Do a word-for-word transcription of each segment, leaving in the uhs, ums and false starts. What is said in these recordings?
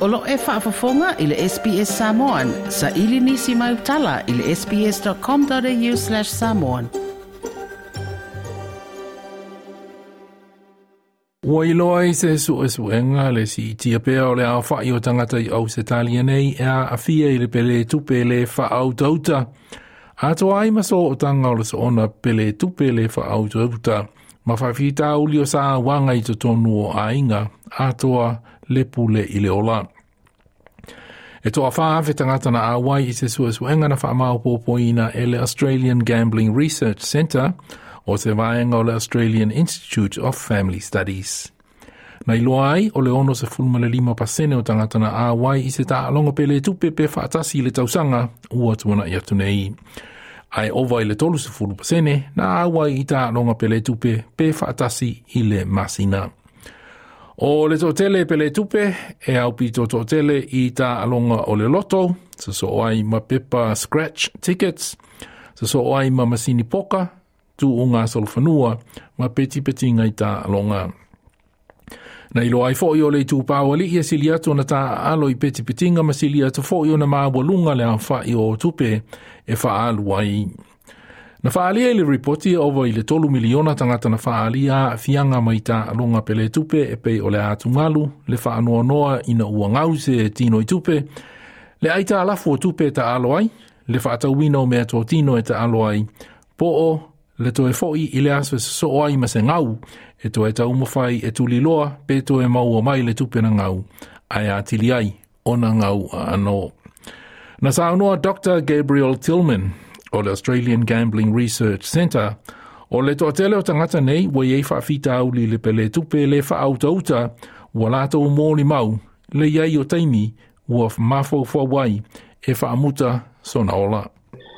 O lo e faafofoga i le S B S Samoan, sa ili nisi mai utala i le S B S dot com dot A U slash samoan. Ua iloa i se suesuega le siitia pea o le aofa'i o tagata i Ausetalia nei e aafia i le pele tupe le faautauta. Atoa ai ma sootaga o le soona pele tupe le faautauta ma faafitauli o sauaga i totonu o aiga atoa le pule i le ola. E toafā afe tagata na auai i se suesuega na faamaopoopoina e le Australian Gambling Research Centre o se vaega o le Australian Institute of Family Studies. Na iloa ai o le ono sefulu ma le lima pasene o tagata na auai i se taaloga pele tupe pe faatasi i le tausaga ua tuana'i atu nei. Ae ova i le tolu sefulu pasene na auai i taaloga pele tupe pe faatasi i le masina. O le toatele pele tupe e aupito toatele i taaloga o le loto, sosoo ai ma pepa scratch tickets, sosoo ai ma masini poka, tuuga solofanua ma petipetiga i taaloga. Na iloa ai fo'i o le itupa o ali'i e sili atu ona taaalo i petipetiga ma sili atu fo'i ona maualuga le aofa'i o tupe e faaalu ai. Na faaalia i le ripoti e ova i le tolu miliona tagata na faaalia aafiaga mai taaloga pele tupe e pei o le atugalu, le faanoanoa ina ua gau se tino i tupe, le aitalafu o tupe e taalo ai, le faatauina o meatotino e taalo ai, po o le toe fo'i i le aso e sosoo ai ma se gau, e toe taumafai e tuliloa pe toe maua mai le tupe na gau, ae atili ai ona gau aano. Na saunoa Doctor Gabriel Tillman o le Australian Gambling Research Centre, o le toatele o tagata nei ua iai faafitauli le pele tupe le faautauta ua latou molimau le iai o taimi ua mafaufau ai e faamuta sona ola.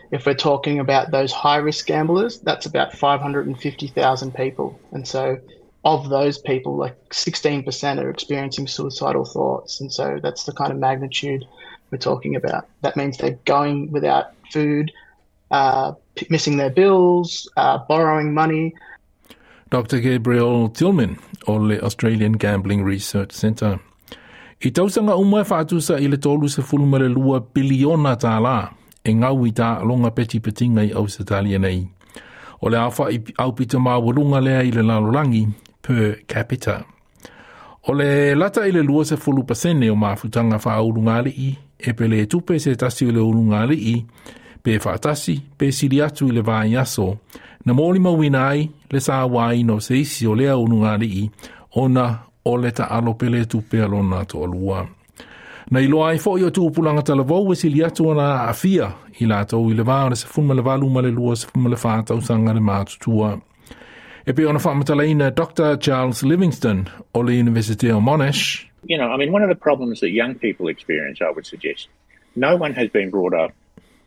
If we're talking about those high risk gamblers, that's about five hundred fifty thousand people. And so of those people, like sixteen percent are experiencing suicidal thoughts. And so that's the kind of magnitude we're talking about. That means they're going without food, uh, missing their bills, uh, borrowing money. Doctor Gabriel Tillman o le Australian Gambling Research Centre. I tausaga uma e faatusa i le tolu sefulu ma le lua piliona tālā e gau i taaloga petipetiga i Ausetalia nei. O le aofa'i aupito maualuga lea i le lalolagi per capita. O le lata i le lua sefulu pasene o mafutaga faaulugali'i e pele tupe se tasi o le ulugali'i pe faatasi pe sili atu i le vaiaso na molimauina ai le sauaina o se isi o lea ulugali'i ona o le taalo pele tupe a lona toalua. Na iloa ai fo'i o tupulaga talavou e sili atu ona aafia i latou i le va o le sefulu ma le valu ma le lua sefulu ma le fa tausaga le matutua. E pei ona faamatalaina Doctor Charles Livingston o le University of Monash. You know, I mean, one of the problems that young people experience, I would suggest, no one has been brought up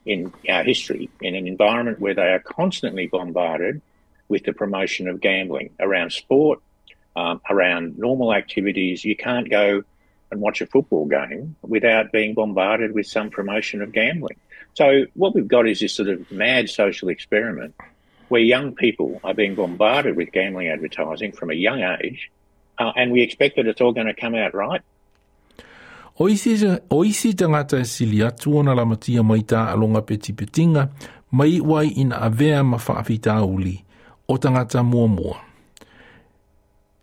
in our history in an environment where they are constantly bombarded with the promotion of gambling around sport, um, around normal activities. You can't go and watch a football game without being bombarded with some promotion of gambling. So what we've got is this sort of mad social experiment where young people are being bombarded with gambling advertising from a young age, uh, and we expect that it's all going to come out right. O isi, o isi tagata e sili atu ona lamatia mai taaloga petipetiga ma iu ai ina avea ma faafitauli o tagata muamua.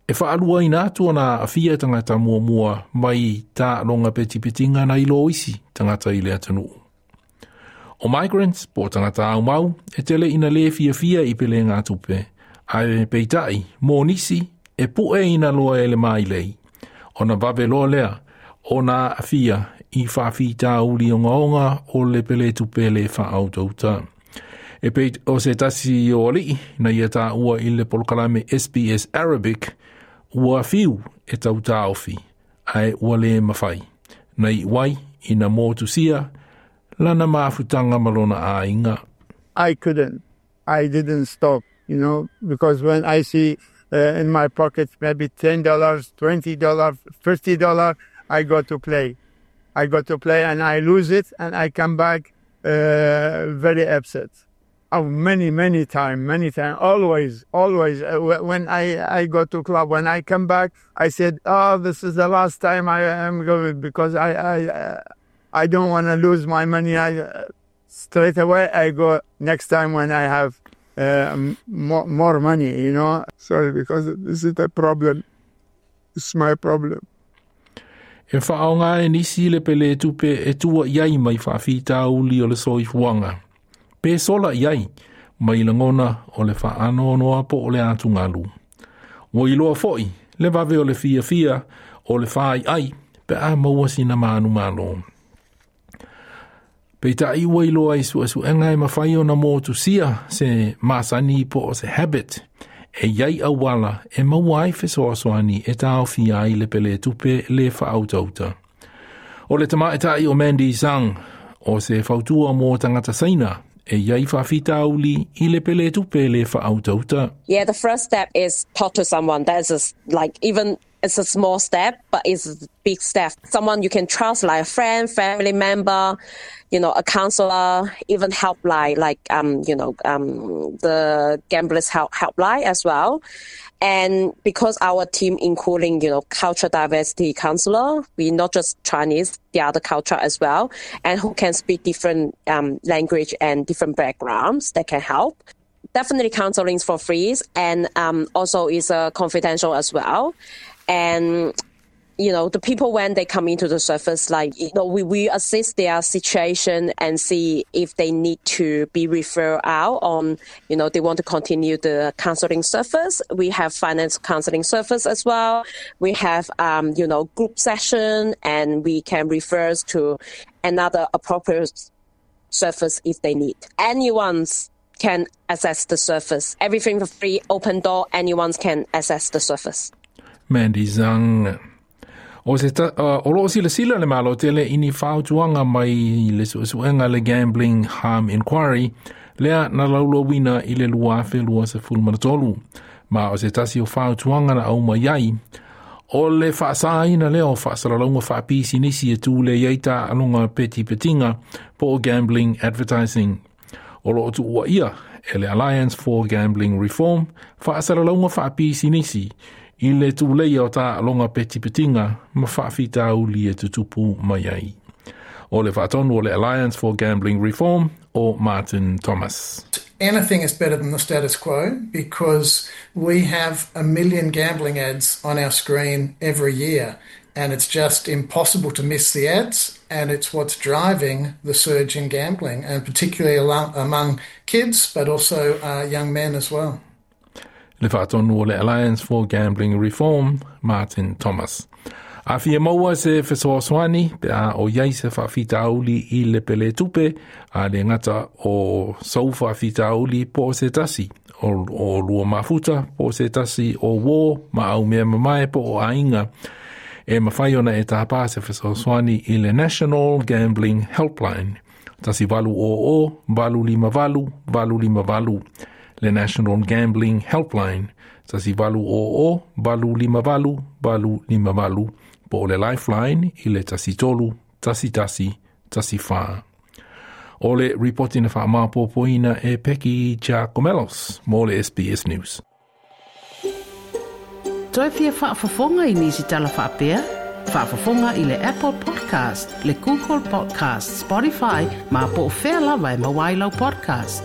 E faaluaina atu ona aafia tagata muamua mai taaloga petipetiga nai lo isi tagata i le atunuu. O migrants, po o tagata aumau, e tele ina le fiafia i pelega tupe, ae peitai, mo nisi, e pu'e ina loa e le mailei. Ona vave loa lea, ona aafia i faafitauli ogaoga o le pele tupe le faautauta. E pei o se tasi o alii na ia taua i le polokalame S B S Arabic ua fiu e tautaofi, ae ua le mafai. Na iu ai ina motusia lana mafutaga ma lona aiga. I couldn't. I didn't stop, you know, because when I see uh, in my pocket maybe ten dollars, twenty dollars, fifty dollars, I go to play. I go to play and I lose it and I come back uh, very upset. Oh, many, many time, many time. Always, always. Uh, when I, I go to club, when I come back, I said, oh, this is the last time I am going because I, I, uh, I don't want to lose my money. I, uh, straight away, I go next time when I have uh, more, more money, you know. Sorry, because this is the problem. It's my problem. E whaonga e nisi le pele tupe e tua iai mai whaafitauli o le soifuanga. Pe sola iai, mai langona o le whaanonoa po o le atu ngalu. Ua iloa foi, le vave o le fia fia o le whai ai, pe a maua sina manu malo. Pe ta iwa iloa i sua su enga e mawhai o na mōtu sia se masani po o se habit, e iai awala e maua ai fesoasoani e tāofi ai le pele tupe le whaautauta. O le tamaetai o Mandy Zhang, o se fautua mō tangata saina, e iai whawhitauli i le pele tupe le whaautauta. Yeah, the first step is talk to someone. That is a, like even it's a small step, but it's a big step. Someone you can trust, like a friend, family member, you know, a counselor, even helpline, like um, you know, um, the gamblers help helpline as well. And because our team including, you know, culture diversity counselor, we not just Chinese, the other culture as well, and who can speak different um, language and different backgrounds that can help. Definitely counseling is for free, and um, also is uh, confidential as well. And you know, the people when they come into the service, like, you know, we, we assess their situation and see if they need to be referred out on, you know, they want to continue the counseling service. We have finance counseling service as well. We have, um, you know, group session, and we can refer to another appropriate service if they need. Anyone's can access the service. Everything for free, open door, anyone can access the service. Mandy Zhang. O se ta, uh, o loo sila sila le malo tele ini whautuanga mai le suesuenga le Gambling Harm Inquiry, lea na laulauina i le lua afe lua sefulu ma le tolu. Ma o se tasi o whautuanga na au mai ai, o le whaasaina leo whaasalalauga whaapisi nisi e tū le iaita alonga peti petinga po o gambling advertising. O loo tuua ia e le Alliance for Gambling Reform whaasalalauga whaapisi nisi i le tūleia o tā alonga peti petinga ma whaafitauli e tutupu mai ai. O le whaatonu o le Alliance for Gambling Reform o Martin Thomas. Anything is better than the status quo because we have a million gambling ads on our screen every year, and it's just impossible to miss the ads, and it's what's driving the surge in gambling, and particularly among kids, but also uh, young men as well. Le whaatonu o le Alliance for Gambling Reform, Martin Thomas. A fia maua se fesoasoani pe a o iai se whaafitauli i le pele tupe a le ngata o sau whaafitauli po o se tasi o, o lua mafuta po o se tasi o wō ma au mea mamae po o ainga e mawhai ona e tāpā se fesoasoani i le National Gambling Helpline. Tasi valu o o, valu lima valu, valu lima valu. Le National Gambling Helpline. Tasi valu o o, valu lima valu, valu lima valu. Po o le Lifeline i le tasi tolu, tasi tasi, tasi wha. O le ripoti na whaamapopoina e Peki Giacomelos, mō le S B S News. Toi fia whaafafonga i nisi tala whaapea? Whaafafonga i le Apple Podcast, le Google Podcast, Spotify, ma po o whea lava e mawailau podcast.